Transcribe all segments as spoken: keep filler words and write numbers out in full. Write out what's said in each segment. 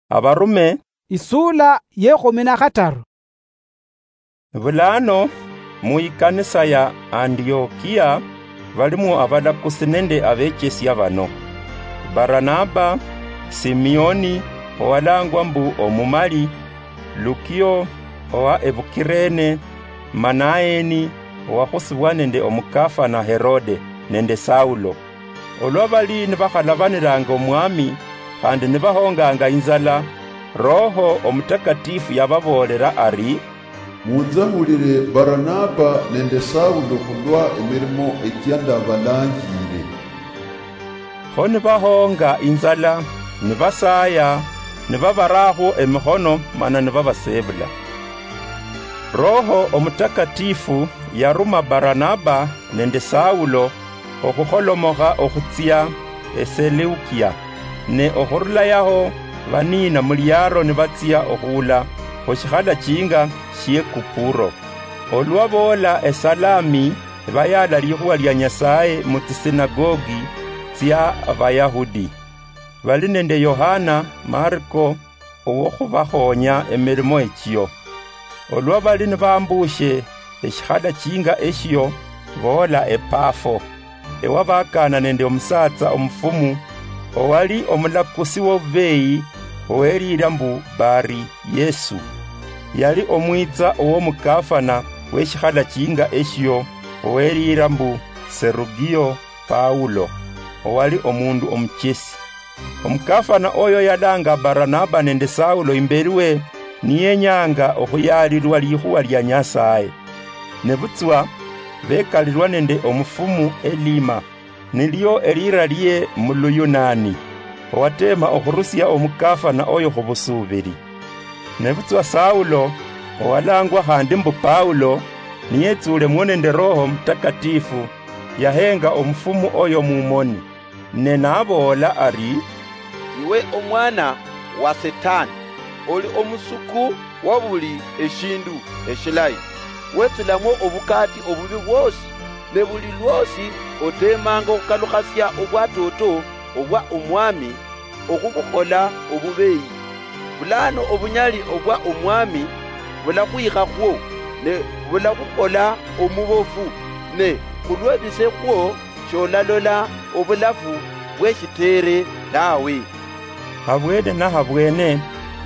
Abarume. Isula yekhumi na khataru. Bulano, mu ikanisa ya Antiokia balimwo abalakusi nende abechesia bano: Baranaba, Simioni, owalangwa mbu Omumali, Lukio owa Ebukirene, Manaeni, owakhusibwa nende omukafana Herode, nende Saulo. Olwa bali nibakhalabanilanga Omwami, khandi nibahonganga inzala, Roho Omutakatifu yababoolela ari, "Munzahulile Baranaba nende Saulo khulwa emirimo echia ndabalanjile." Kho nibahonga inzala, nibasaaya, nibabarakhwo emikhono, mana nibabaseebula. Roho Omutakatifu yaruma Baranaba nende Saulo okhukholomokha okhutsia Eseleukia, ne okhurula yaho baniina mu liaro nibatsia okhuula khu shikhalachinga shie Kupuro. Olwa boola eSalami, bayaala likhuwa lia Nyasaye mu tsisinagogi tsia Abayahudi. Bali nende Yohana Marko owokhubakhonya emirimo echio. Olwa bali nibambuushe eshikhalachinga eshio, boola ePafo, ewabakana nende omusatsa omufumu, owali omulakusi wobubeyi, oweliira mbu Bari Yesu. Yali omwitsa owomukafana weshikhalachinga eshio, oweliira mbu Serugio Paulo, owali omundu omuchesi. Omukafana oyo yalanga Baranaba nende Saulo imberi we, niyenyanga okhuyaalilwa likhuwa lia Nyasaye. Nebutswa bekalirwa nende omufumu Elima, nilio eliira lie mu Luyunani, owateema okhurusia omukafana oyo khubusuubili. Nebutswa Saulo, owalangwa khandi mbu Paulo, niyetsuulemwo nende Roho Mutakatifu, yahenga omufumu oyo mumoni, ne naboola ari, "Iwe omwana wa Setani, oli omusuku wa buli eshindu eshilayi. Wetsulamwo obukaati obubi bwosi, ne buli lwosi otemanga okhukalukhasia obwatoto obwa Omwami okhubukhola obubeyi. Bulano obunyali obwa Omwami bulakhwikhakhwo, ne bulakhukhola omubofu, ne khulwebise khwo sholalola obulafu bweshiteere tawe." Habwene nahabwene,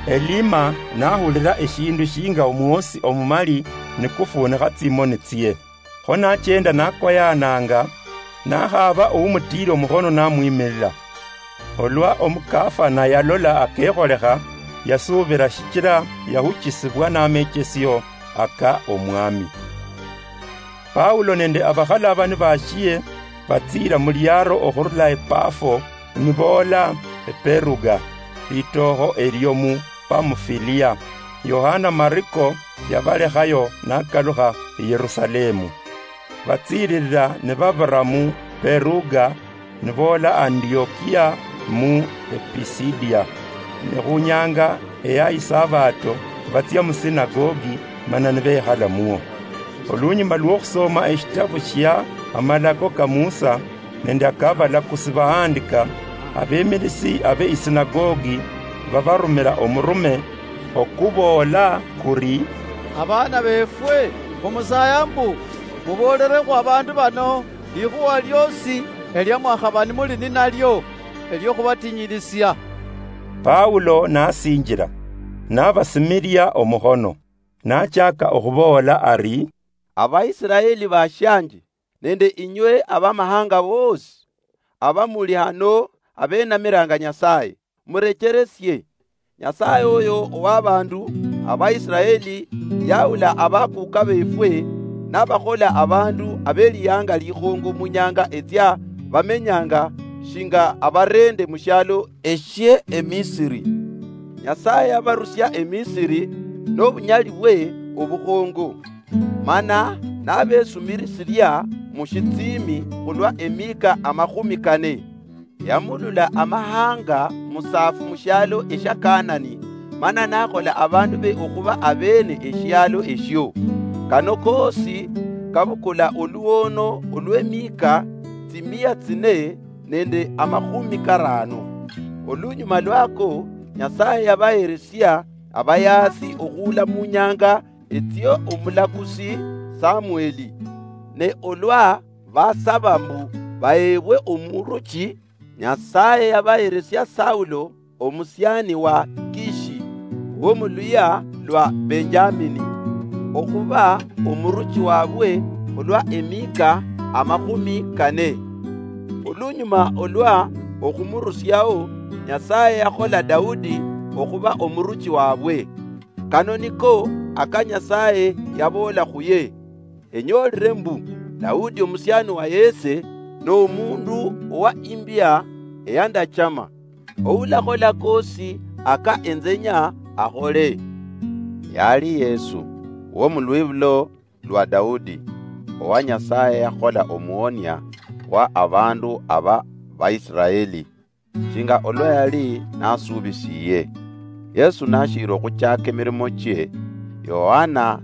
Elima nahulira eshindu shinga omwosi omumali nikufuunikha tsimoni tsie. Kho nachenda nakoyananga, nakhaba oumutiile omukhono namwimilila. Olwa omukafana yalola akekholekha, yasuubila shichila yahuchisibwa namechesio aka Omwami. Paulo nende abakhalabani bashie batsiila mu liaro okhurula ePafo, niboola ePeruga, litookho elio mu Pamufilia. Yohana Mariko yabalekhayo nakalukha Yerusalemu. Batsiililila nibabira mu Peruga, niboola Antiokia mu Episidia. Ne khunyanga eya Isabato batsia musinagogi, mana nibekhala muo. Olunyuma lwokhusoma eshitabu shia Amalako ka Musa nende akabalakusi bahandika, abemilisi abe isinagogi babarumila omurume okuboola kuri, "Abaana befwe, khumusaya mbu muboolelekhwo abandu bano likhuwa liosi elia mwakhaba nimuli ninalio eliokhubatinyiilisia." Paulo nasinjila, nabasimilia omukhono, nachaka okhuboola ari, "Abaisiraeli bashianje, nende inywe abamahanga boosi abamuli hano abenamiranga Nyasaye, murecheresie. Nyasaye oyo owabandu Abaisiraeli yaula abakuka befwe, nabakhola abandu abelianga likhongo munyanga etsia bamenyanga shinga abarende mushialo eshie Emisiri. Nyasaye yabarusia Emisiri nobunyali bwe obukhongo, mana nabesumirisilia mushitsimi khulwa emika amakhumi kane. Yamulula amahanga musaafu mushialo eshia Kanani, mana nakhola abandu be okhuba abene eshialo eshio. Kano koosi kabukula oluono olw'emika tsimia tsine nende amakhumi karano. Olunyuma lwako, Nyasaye yabaheresia abayaasi okhuula mu nyanga etsio omulakusi Samueli. Ne olwa basaba mbu baheebwe omuruchi, Nyasaye yabaheresia Saulo omusiani wa Kishi, w'omuluya lwa Benjamini, okhuba omuruchi wabwe khulwa emika amakhumi kane. Olunyuma olwa okhumurusiao, Nyasaye yakhola Daudi okhuba omuruchi wabwe. Kano niko aka Nyasaye yaboola khuye, enyoolire mbu Daudi omusiani wa Yese n'omundu owa imbia eyandachama, oulakhola kosi aka enzenya akhole. Yali Yesu, wo mulwibulo lwa Daudi, owa Nyasaye yakhola omuonia wa abandu aba Baisraeli, shinga olwa yali nasubisiye. Yesu nashiri okhuchaka emirimo chie, Yohana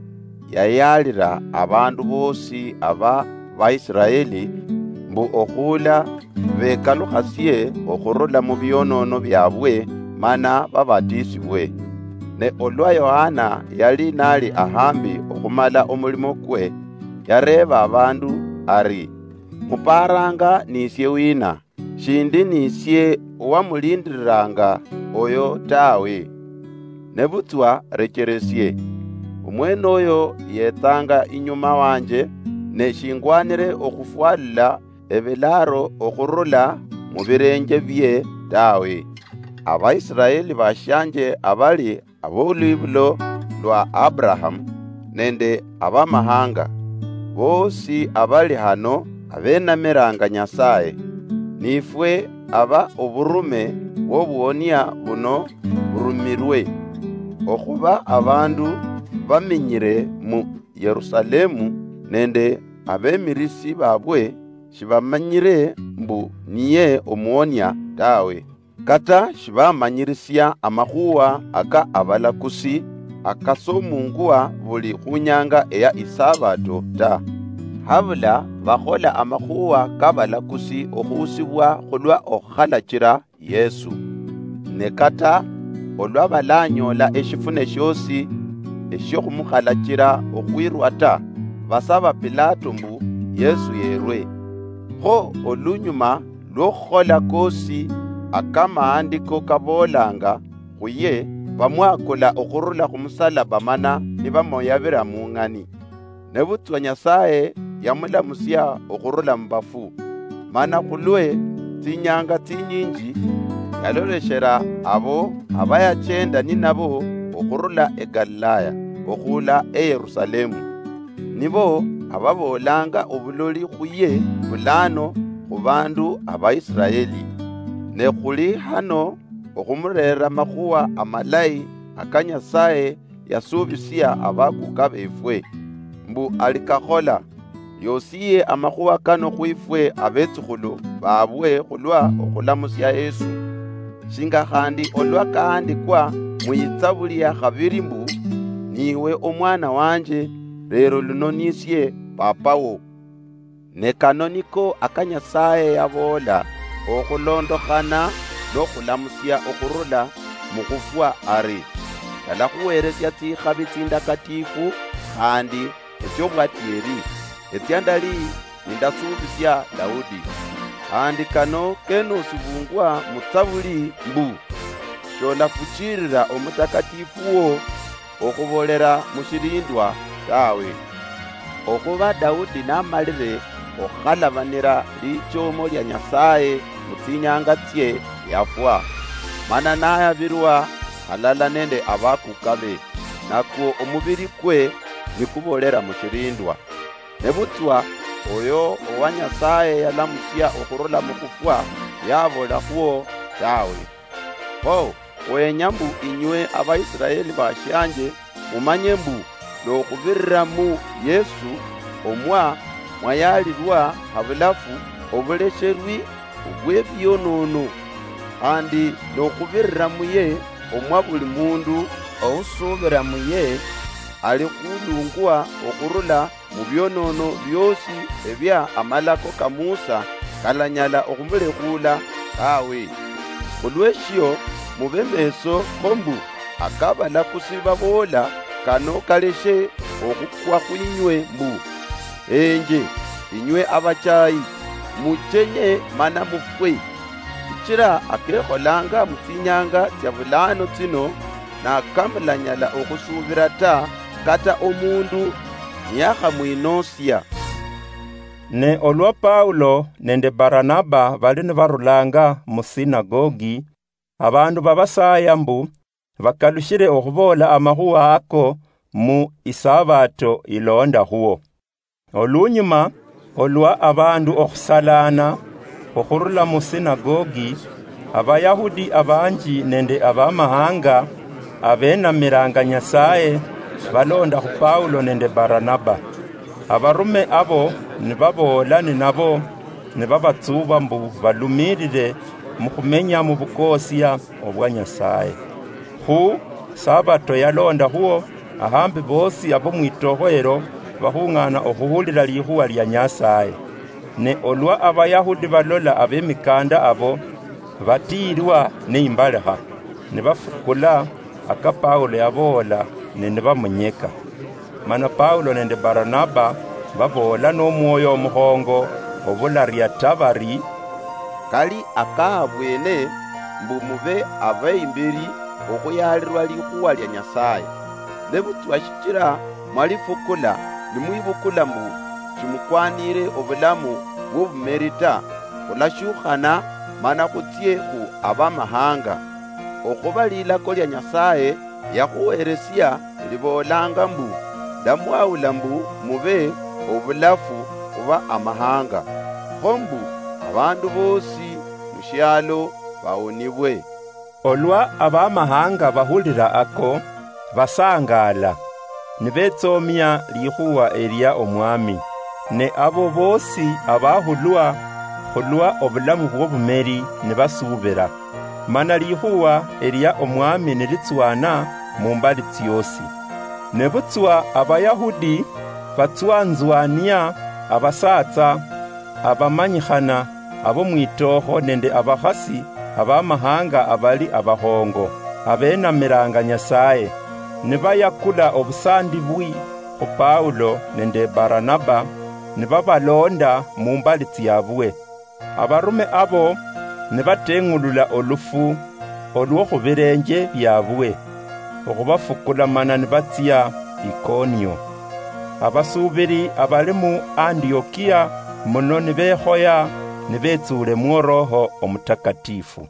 yayalira abandu bosi aba Baisraeli mbu okhuula bekalukhasie okhurula mu bionono biabwe mana babatisibwe. Ne olwa Yohana yali nali ahambi okhumala omulimo kwe, yareeba abandu ari, muparanga nisie wina? Shindi nisie owamulindiriranga oyo tawe. Nebutswa recheresie, omwene oyo yetsanga inyuma wanje, ne shingwanire okhufwalula ebilaro okhurula mubirenje bie tawe. Abaisraeli bashianje abali abolwibulo lwa Abrahamu nende abamahanga, bosi abali hano abenamiranga Nyasaye. Nifwe aba oburume bw'obuonia buno burumirwe, okhuba abandu bamenyire mu Yerusalemu nende abemirisi babwe shibamanyire mbu niye omuonia tawe. Kata shibamanyirisia amakhuwa aka abalakusi akasomungwa buli khunyanga eya isabato ta. Habula bakhola amakhuwa kabalakusi okhusibwa khulwa okhukhalachira Yesu. Ne kata olwa balanyola eshifune shiosi eshiokhukhumukhalachira okhwirwa ta, basaba Pilato mbu Yesu yerwe. Kho olunyuma lwokhukhola kosi akamaandiko kaboolanga khuye, bamwakula okhurula khumusalaba mana nibamoyabira mung'ani. Nebutswa Nyasaye yamulamusia okhurula mubafu, mana khulwe tsinyanga tsinyinji yaloleshera abo abayachenda ninabo okhurula eGalilaya okhuula eYerusalemu. Nibo ababoolanga obuloli khuye bulano khubandu abaIsiraeli. Ne khuli hano okhumurera amakhuwa amalayi aka Nyasaye yasubisia abakuka befwe, mbu alikakhola. Yosiye amakhuwa kano khwifwe abetsukhulu babwe khulwa okhulamusia Yesu. Shinga khandi olwa kaandikwa muyitsabuli ya khabiri mbu, niwe omwana wanje, lero luno nisie papawo. Ne kano niko aka Nyasaye yaboola okhulondokhana nokhulamusia okhurula mukhufwa ari, ndalakhuweresia tsikhabi tsindakatifu khandi etsiobwatieri, etsia ndali nindasuubisia Daudi. Khandi kano kenosibungwa mutsabuli mbu, sholafuchirira omutakatifu wo okhubolera mushilindwa tawe. Okhuba Daudi namalire okhalabanira lichomo lia Nyasaye mutsinyanga tsie yafwa, mana nayabirwa halala nende abakukabe, nakwo omubiri kwe nikubolera mushilindwa. Nebutswa oyo owa Nyasaye yalamusia okhurula mukhufwa yabolakhwo tawe. Kho khwenya mbu inywe abaIsiraeli bashianje mumanye mbu nokhubirira mu Yesu omwa mwayalirwa habulafu obulesherwi obwebionono, khandi nokhubirira muye omwa buli mundu ousuubira muye alikhulungwa okhurula mubionono biosi ebia amalako ka Musa kalanyala okhumulekhula tawe. Khulweshio, mube meeso kho mbu akabalakusi baboola kano kaleshe okhukwa khwinywe mbu, "Enje, inywe abachaayi, muchenye mana mufwe." Shichila akekholanga mutsinyanga tsia bulaano tsino, nakamulanyala okhusuubila ta, kata omundu niyakhamwinoosia. Ne olwa Paulo nende Baranaba bali nibarulanga mu sinagogi, abandu babasaaya mbu bakalushile okhuboola amakhuwa ako mu isabato ilonda khuwo. Olunyuma, olwa abandu okhusalaana okhurula mu sinagogi, Abayahudi abanji nende abamahanga abenamilanga Nyasaye balonda khu Paulo nende Baranaba. Abarume abo nibaboola ninabo, nibabatsuba mbu balumilile mukhumenya mubukoosia obwa Nyasaye. Khu Sabato yalonda khuwo, ahambi boosi abo mwitokho elo bakhung'ana okhuhulila likhuwa lia Nyasaye. Ne olwa Abayahudi balola abemikanda abo, batiilwa neimbalekha, nibafukula aka Paulo yaboola, ne nibamunyeka. Mana Paulo nende Baranaba baboola nomwoyo omukhongo obularia ta bari, "Kali akahabwene mbu mube abeimberi okhuyalirwa likhuwa lia Nyasaye. Nebutswa shichila mwalifukula, nimwibukula mbu shimukwanire obulamu bwobumeri ta, khulashukhana mana khutsie khu abamahanga. Okhuba lilako lia Nyasaye yakhuheresia liboolanga mbu, 'Ndamwawula mbu mube obulafu khuba amahanga, kho mbu abandu boosi mushialo bawonibwe.'" Olwa abamahanga bahulira ako, basangaala, nibetsomia likhuwa elia Omwami. Ne abo boosi abahulwa khulwa obulamu bwobumeri nibasuubira. Mana likhuwa elia Omwami nilitswana mumbali tsiosi. Nebutswa Abayahudi batswanzwania abasatsa abamanyikhana abo mwitookho nende abakhasi abamahanga abali abakhongo, abenamilanga Nyasaye, nibayakula obusandibwi khu Paulo nende Baranaba, nibabalonda mumbali tsiabwe. Abarume abo nibateng'ulula olufu olwo khubilenje biabwe, okhubafukula mana nibatsia Ikonio. Abasuubili abali mu Antiokia muno nibekhoya nibetsuule mu Roho Omutakatifu.